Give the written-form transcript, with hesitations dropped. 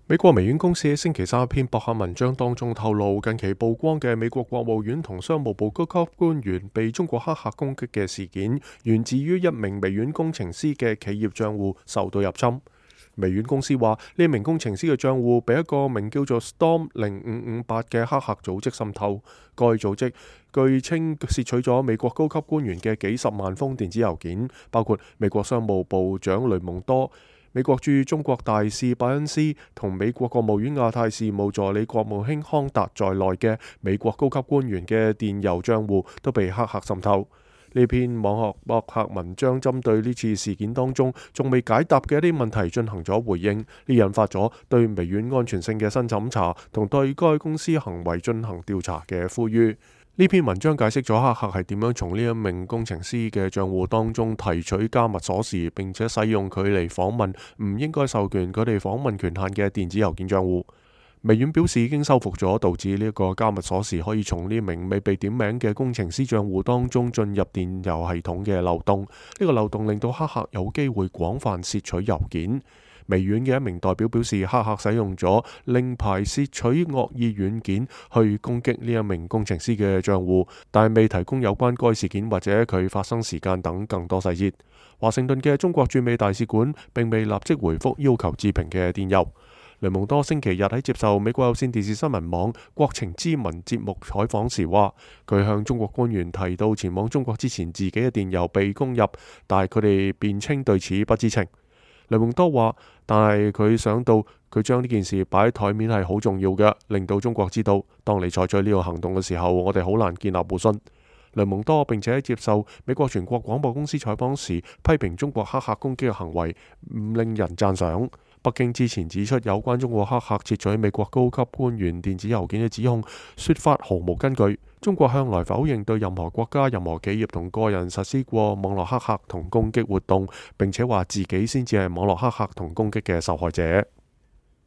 美國微軟公司喺星期三一篇博客文章當中透露，近期曝光嘅美國國務院同商務部高級官員被中國黑客攻擊嘅事件，源自於一名微軟工程師嘅企業賬戶受到入侵。微軟公司話，呢名工程師嘅賬戶被一個名叫做 Storm0558嘅黑客組織滲透。該組織據稱竊取咗美國高級官員嘅幾十萬封電子郵件，包括美國商務部長雷蒙多、美國駐中國大使拜恩斯同美國國務院亞太事務助理國務卿康達在內嘅美國高級官員嘅電郵賬戶都被黑客滲透。呢篇網絡博客文章針對呢次事件當中仲未解答嘅一啲問題進行咗回應，呢引發咗對微軟安全性嘅新審查同對該公司行為進行調查嘅呼籲。呢篇文章解釋咗黑客係點樣從呢一名工程師嘅賬戶當中提取加密鎖匙，並且使用佢嚟訪問唔應該授權佢哋訪問權限嘅電子郵件賬戶。微軟表示已經修復咗導致呢個加密鎖匙可以從呢名未被點名嘅工程師賬戶當中進入電郵系統嘅漏洞。呢個漏洞令到黑客有機會廣泛竊取郵件。微軟嘅一名代表表示，黑客使用咗令牌竊取惡意軟件去攻擊呢一名工程師嘅賬戶，但未提供有關該事件或者佢發生時間等更多細節。華盛頓嘅中國駐美大使館並未立即回覆要求置評嘅電郵。雷蒙多星期日喺接受美國有線電視新聞網國情咨文節目採訪時話，佢向中國官員提到前往中國之前自己嘅電郵被攻入，但係佢哋辯稱對此不知情。雷蒙多話，但係佢想到佢將呢件事擺喺台面係好重要嘅，令到中國知道當你採取呢個行動嘅時候，我哋好難建立互信。雷蒙多並且喺接受美國全國廣播公司採訪時批評中國黑客攻擊嘅行為唔令人讚賞。北京之前指出有關中國黑客竊取美國高級官員電子郵件嘅指控，說法毫無根據。中國向來否認對任何國家、任何企業同個人實施過網絡黑客同攻擊活動，並且話自己先至係網絡黑客同攻擊嘅受害者。